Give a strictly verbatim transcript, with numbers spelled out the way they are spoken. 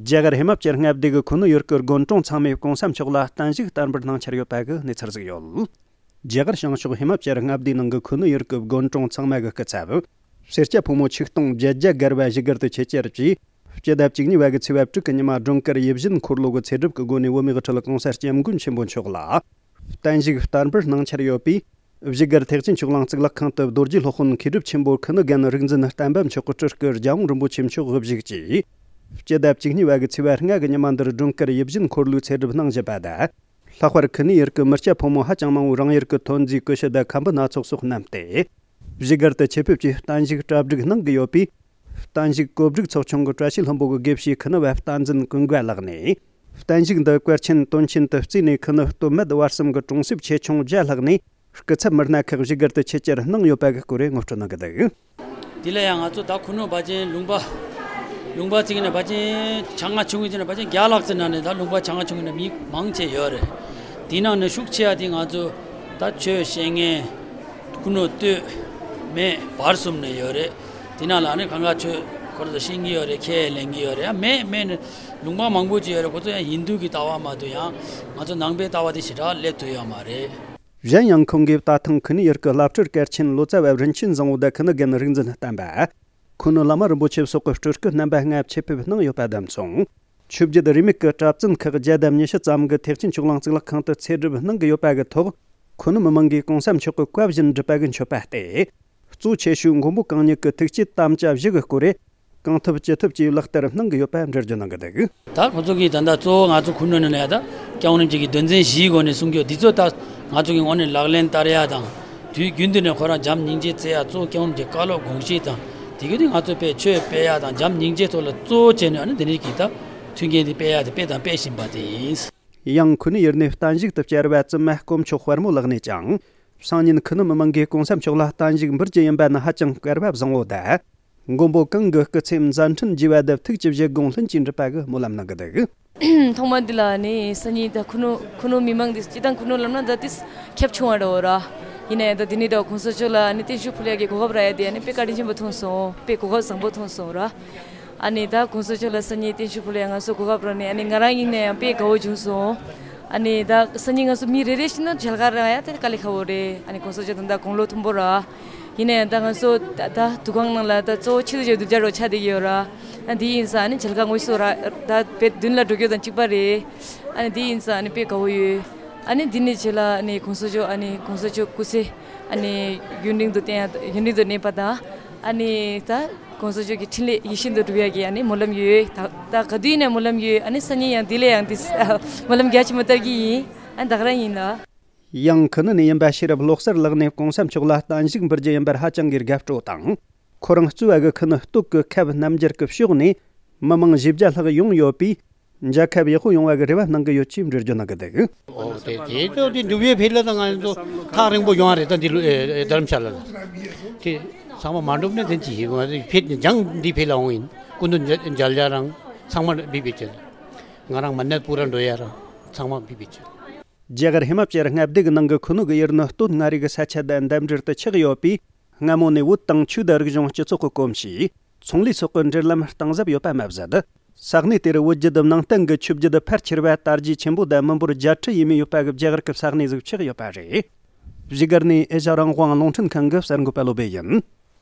རྒྱ་གར་ཧི་མ་ཅལ་མངའ་སྡེ་གི་ཁུ་ནུ་ཡུལ་གྱི་དགོན་གྲོང་ཚང་མས་གོང་ས་མཆོག་ལ་བརྟན་བཞུགས་བསྟར་འབུལ་གནང་འཆར་ཡོད་པ་གི་གནས་ཚུལ་ཟིག་ཡོད། རྒྱ་གར་བྱང་ཕྱོགས་ཧི་མ་ཅལ་མངའ་སྡེའི་ནང་གི་ཁུ་ནུ་ཡུལ་གྱི་དགོན་གྲོང་ཚང་མ་གི་སྐུ་ཚབ། སེར་སྐྱ་ཕོ་མོ་ཆིག་སྟོང་བརྒྱད་བརྒྱ་བརྒལ་བ་བཞུགས་སྒར་དུ་ཆེད་བཅར་གྱིས། སྤྱི་ཟླ་བཅུ་གཉིས་པ་གི་ཚེས་པ་དྲུག་གི་ཉི་མ་སྒྲོལ་དཀར་ཡིད་བཞིན་འཁོར་ལོ་གི་ཚེ་སྒྲུབ་ཀྱི་སྒོ་ནས་བོད་མིའི་དབུ་ཁྲིད་གོང་ས་སྐྱབས་མགོན་ཆེན་པོ་མཆོག་ལ་བརྟན་བཞུགས་བསྟར་འབུལ་གནང་འཆར་ཡོད་པས། བཞུགས་སྒར་ཐེག་ཆེན་ཆོས་གླིང་གཙུག་ལག་ཁང་དུ་རྡོ་རྗེ་སློབ་དཔོན་མཁས་གྲུབ་ཆེན་པོ་ཁུ་ནུ་རྒན་རིག་འཛིན་བསྟན་པ་མཆོག་གི་སྤྲུལ་སྐུ་རྒྱལ་དབང་རིན་པོ་ཆེ་མཆོག་དབུ་བཞུགས་ཀྱིས། སྤྱི་ཟླ་བཅུ་གཉིས་པ་གི་ཚེས་པ་ལྔ་གི་ཉི་མ་འདིར་སྒྲོལ་དཀར་ཡིད་བཞིན་འཁོར་ལོའི་ཚེ་སྒྲུབ་གནང་བཞིན་པ་དང་། ལྷག་པར་ཁུ་ནུའི་ཡུལ་གྱི་མི་སྐྱ་ཕོ་མོ་ཧ་ཅང་མང་བོས་རང་ཡུལ་གྱི་ཐོན་རྫས་ཀུ་ཤུ་དང་ཁམ་བུ་སྣ་ཚོགས་སོགས་བསྣམས་ཏེ། བཞུགས་སྒར་དུ་ཆེད་ཕེབས་ཀྱིས་བརྟན་བཞུགས་གྲ་སྒྲིག་གནང་གི་ཡོད་པས། བརྟན་བཞུགས་གོ་སྒྲིག་ཚོགས་ཆུང་གི་བཀྲ་ཤིས་ལྷུན་པོ་གི་དགེ་བཤེས་ཁུ་ནུ་བ་བསྟན་འཛིན་ཀུན་དགའ་ལགས་ནས། བརྟན་བཞུགས་འདི་བཀའ་ཆེན་དོན་ཆེན་དུ་བརྩིས་ནས། ཁུ་ནུ་སྟོད་སྨད་བར་གསུམ་གྱི་གྲོང་གསེབ་ཆེ་ཆུང་བརྒྱ་ལྷག་ནས། སྐུ་ཚབ་མི་སྣ་ཁག་བཞུགས་སྒར་དུ་ཆེད་བཅར་གནང་ཡོད་པ་གི་སྐོར་ངོ་སྤྲོད་གནང་གི་འདུག། དེ་ལ་ཡང་ང་ཚོ་ད་ཁུ་ནུ་བ་ཅན་ལུང་པ། ལུང་པ་བརྩིས་ནས་བ་ཅན་ཆ་ང་ཆུང་གི་ཅན་བ་ཅན་བརྒྱ་ལྷག་ཙམ་ནང་ནས་ད་ལུང་པ་ཆ་ང་ཆུང་གི་ནང་མི་མང་ཆེ་ཡོད་རེད། དེ་ནང་ནས་ཤུགས་ཆེ་བ་དེ་ང་ཚོ་ད་ཆོས་བཤད་མཁན། ཁུ་ནུ་སྟོད་སྨད་བར་གསུམ་ནས་ཡོད་རེད། དེ་ནང་ལ་ནི་གང་ག་ཆོས་ཁོ་རང་ཚོ་ཤེས་ཀྱི་ཡོད་རེད། ཁས་ལེན་གྱི་ཡོད་རེད། ཡང་མེད་མེད་ནི་ལུང་པ་མང་པོ་ཅིག་ཡོད་རེད། ཁོ་ཚོ་ཡང་ཧིན་དུ་གི་ལྟ་བ་མ་གཏོགས་ཡང་ང་ཚོ་ནང་པའི་ལྟ་བ་དེ་ཞེ་དྲག་སླེབས་ཐུབ་ཡོད་མ་རེད། གཞན་ཡང་ཁོང་གིས་ད་ཐེངས་ཁུ་ནུ་ཡུལ་གྱི་བླ་སྤྲུལ་སྐལ་ཆེན་ལོ་ཙཱ་བ་རིན་ཆེན་བཟང་བོ་དང་ཁུ་ནུ་རྒན་རིག་འཛིན་བསྟན་པ། ཁུ་ནུ་བླ་མ་རིན་པོ་ཆེ་སོགས་ཀྱི་སྤྲུལ་སྐུ་རྣམ་པ་ལྔ་ཆེད་ཕེབས་གནང་ཡོད་པ་དང་མཚུངས། ཆོས་བརྒྱུད་རིས་མེད་ཀྱི་གྲྭ་བཙུན་ཁག་བརྒྱ་དང་ཉི་ཤུ་ཙམ་གྱིས་ཐེག་ཆེན་ཆོས་གླིང་གཙུག་ལག་ཁང་དུ་ཚེ་སྒྲུབ་གནང་གི་ཡོད་པ་གི་ཐོག་ཁུ་ནུ་མི་མང་གིས་གོང་ས་མཆོག་གི་བཀའ་བཞིན་སྒྲུབ་པ་གི་མཆོད་པ་སྟེ། གཙོ་ཆེ་ཤོས་མགོན་པོ་གང་ཉིད་ཀྱི་ཐུགས་བསྐྱེད་དམ་བཅའ་བཞི་གི་སྐོར་རེ། གང་ཐུབ་ཅི་ཐུབ་ཀྱིས་ལག་བསྟར་གནང་གི་ཡོད་པ་འགྲེལ་བརྗོད་གནང་གི་འདུག། ད་ཁོང་ཚོ་གིས་ད་ལྟ་གཙོ་བོ་ང་ཚོ་ཁུ་ནུ་ནས་ལ་ཡ་ད་སྐྱབས་མགོན་རིན་པོ་ཆེ་གི་དོན་ཚན་བཞིའི་སྒོ་ནས་གསུང་རྒྱུ་འདི་ཚོ་ད་ང་ཚོ་གི་ངོས་ནས་ལག་ལེན་བསྟར་ཡ་དང་། དུས་རྒྱུན་དུ་ནས་ཁོ་རང་བྱམས་སྙིང་རྗེ་བརྩི་ཡ་གཙོ་བོ་སྐྱབས་མགོན་རིན་པོ་ཆེའི་བཀའ་སློབ་དགོངས་བཞེས་དང་། དེ་གི་དུས་ང་ཚོ་དཔེ་ཆོས་སྤེལ་ཡ་དང་བྱམས་སྙིང་རྗེ་ཐོག་ལ་གཙོ་བོ་བྱས་ནས་ཨ་ནི་འདི་འདྲའི་གི་ད་མཐུན་རྐྱེན་དེ་སྤེལ་ཡ་དེ་སྤེལ་དང་སྤེལ་བཞིན་པ་དེ་ཡིན། ཡང་ཁུ་ནུ་ཡུལ་ནས་བརྟན་བཞུགས་དུ་བཅར་བ་བཙུན་མ་དཀོན་མཆོག་དཔལ་མོ་ལགས་ནས་ཀྱང་། སང་ཉིན་ཁུ་ནུ་མི་མང་གིས་གོང་ས་མཆོག་ལ་བརྟན་བཞུགས་འབུལ་རྒྱུ་ཡིན་པ་ནི་ཧ་ཅང་སྐལ་བ་བཟང་བོ་དང་། མགོན་པོ་གང་གི་སྐུ་ཚེ་མཛད་འཕྲིན་རྒྱས་པ་དང་ཐུགས་ཀྱི་བཞེད་དགོངས་ལྷུན་གྱིས་འགྲུབ་པ་གི་སྨོན་ལམ་གནང་གི་འདུག། ཐོག་མ་འདི་ལ་ནི་སང་ཉིན་ད་ཁུ་ནུ་ཁུ་ནུ་མི་མང་འདི་སྤྱི་བཏང་ཁུ་ནུ་ལབ་ན་ད་ཏིས་ཁྱབ་ཆུང་བ་འདྲ་བོ་ར། ཡིན་ན་ཡང་ད་འདི་ནི་ད་གོང་ས་མཆོག་ལ་ནི་བརྟན་བཞུགས་ཕུལ་ཡ་གི་གོ་སྐབས་རག་ཡ་དེ་ནི་དཔེ་བཀའ་དྲིན་ཆེན་པོ་མཐོང་སོང་། དཔེ་གོ་སྐབས་བཟང་པོ་མཐོང་སོང་ར། ཨ་ནི་ད་གོང་ས་མཆོག་ལ་སང་ཉིན་བརྟན་བཞུགས་ཕུལ་ཡ་ང་ཚོ་གོ་སྐབས་རག་ནས། ཨ་ནི་ང་རང་ཡིན་ན་ཡང་དཔེ་དགའ་བོ་བྱུང་སོང་། ཨ་ནི་ད་སང་ཉིན་ང་ཚོ་མི་རེ་རེ་བཞིན་ནོ་མཇལ་ཁ་རག་ཡ་དེ་དཀའ་ལས་ཁག་པོ་རེད། ཨ་ནི་གོང་ས་མཆོག་ད་ད་དགུང་ལོ་མཐོན་པོ་ར། ཡིན་ན་ཡང་ད་ང་ཚོ་ད་ད་འདུ་ཁང་ནང་ལ་ད་གཙོ་བོ་ཕྱི་དུ་བྱས་སྡུག་ཅག་རོ་ཆགས་བསྡད་ཀྱི་ཡོད་ར། ཨ་འདི་ཡིན་ཙང་ཨ་ནི་མཇལ་ཁ་དངོས་སུ་ར་ད་དཔེ་མདུན་ལ་འགྲོ་རྒྱུ་དང་གཅིག་པ་རེད། ཨ་ནི་འདི་ཡིན་ཙང་ཨ་ནི་དཔེ་དགའ་བོ་ཡོད། ཨ་ནི་འདི་ནས་རྗེས་ལ་ཨ་ནི་གོང་ས་མཆོག་ཨ་ནི་གོང་ས་མཆོག་སྐུ་ཚེ་ཨ་ནི་ཡུན་རིང་དུ་བརྟན་ཡ་ཡུན་རིང་དུ་གནས་པ་དང་། ཨ་ནི་ད་གོང་ས་མཆོག་གི་འཕྲིན་ལས་ཡིད་བཞིན་དུ་འགྲུབ་ཡ་གི་ཨ་ནི་སྨོན་ལམ་ཡོད། ད་ད་ག་དུས་ཡིན་ན་སྨོན་ལམ་ཡོད། ཨ་ནི་སང་ཉིན་ཡང་འདི་ལས་ཡང་འདི་སྨོན་ལམ་རྒྱ་ཆེན་པོ་བསྟར་གྱི་ཡིན། ཨ་ད་ག་རང་ཡིན་ལ། ཡང་ཁུ་ནུ་ནས་ཡིན་པ་ཤེས་རབ་བློ་གསར་ལགས་ནས་གོང་ས་མཆོག་ལ་བརྟན་བཞུགས་འབུལ་རྒྱུ་ཡིན་པར་ཧ་ཅང་གི་དགའ་སྤྲོ་དང་། ཁོ་རང་གཙོས་པ་གི་ཁུ་ནུ་སྟོད་ཀྱི་ཁབ་རྣམ་རྒྱལ་གྱི་ཕྱོགས་ནས་མི་མང་བཞི་བརྒྱ་ལྷག་ཡོང་ཡོད་པས། མཇལ་ཁ་ཡག་པོ་ཡོང་བ་གི་རེ་བ་གནང་གི་ཡོད་ཅེས་འགྲེལ་བརྗོད་གནང་གི་འདུག། ཨོ་དེ་དེ་ཚོ་དེ་འགྲུབ་ཡས་ཕེབས་ལ་ད་ང་ཚོ་ཐག་རིང་པོ་ཡོང་བ་རེད། ད་འདི་ལོ་ཨེ་ཨེ་རྡ་རམ་ཤ་ལ་ལ་དེ་ཚང་མ་མ་འགྲུབ་ན་དེ་ཅི་ཡིན། ང་ཚོ་ཕེབས་ནས་ལྗང་འདི་ཕེབས་ལ་འོང་ཡིན། སྐུ་མདུན་མཇལ་མཇལ་ཡ་རང་ཚང་མ་འབིབ་པའི་ཆེད། ང་རང་མ་ནད་པུ་ར་འགྲོ་ཡ་རང་ཚང་མ་འབིབ་པའི་ཆེད། རྒྱ་གར་ཧི་མ་ཅལ་མངའ་སྡེ་གི་ནང་གི་ཁུ་ནུ་གི་ཡུལ་ནི་སྟོད་མངའ་རིས་ཀྱི་ས་ཆ་དང་འདབས་འབྲེལ་དུ་ཆགས་ཡོད་པས། སྔ་མོ་ནས་བོད་དང་ཆོས་དང་རིག་གཞུང་སྤྱི་ཚོགས་ཀྱི་གོམས་གཤིས། ཚོང་ལས་སོགས་ཀྱི་འབྲེལ་ལམ་གཏིང་ཟབ་ཡོད་པ་མ་ཟད། ས་གནས་དེར་བོད་བརྒྱུད་ནང་བསྟན་གྱི་ཆོས་བརྒྱུད་ཕལ་ཆེར་བ་དར་རྒྱས་ཆེན་པོ་དང་མི་འབོར་བརྒྱད་ཁྲི་ཡས་མས་ཡོད་པ་གི་རྒྱ་གར་གྱི་ས་གནས་ཟིག་ཆགས་ཡོད་པ་རེད། བཞུགས་སྒར་ནས་ཨེ་ཤ་རང་དབང་རླུང་འཕྲིན་ཁང་གི་གསར་འགོད་པ་བློ་སྦེ་ཡིན།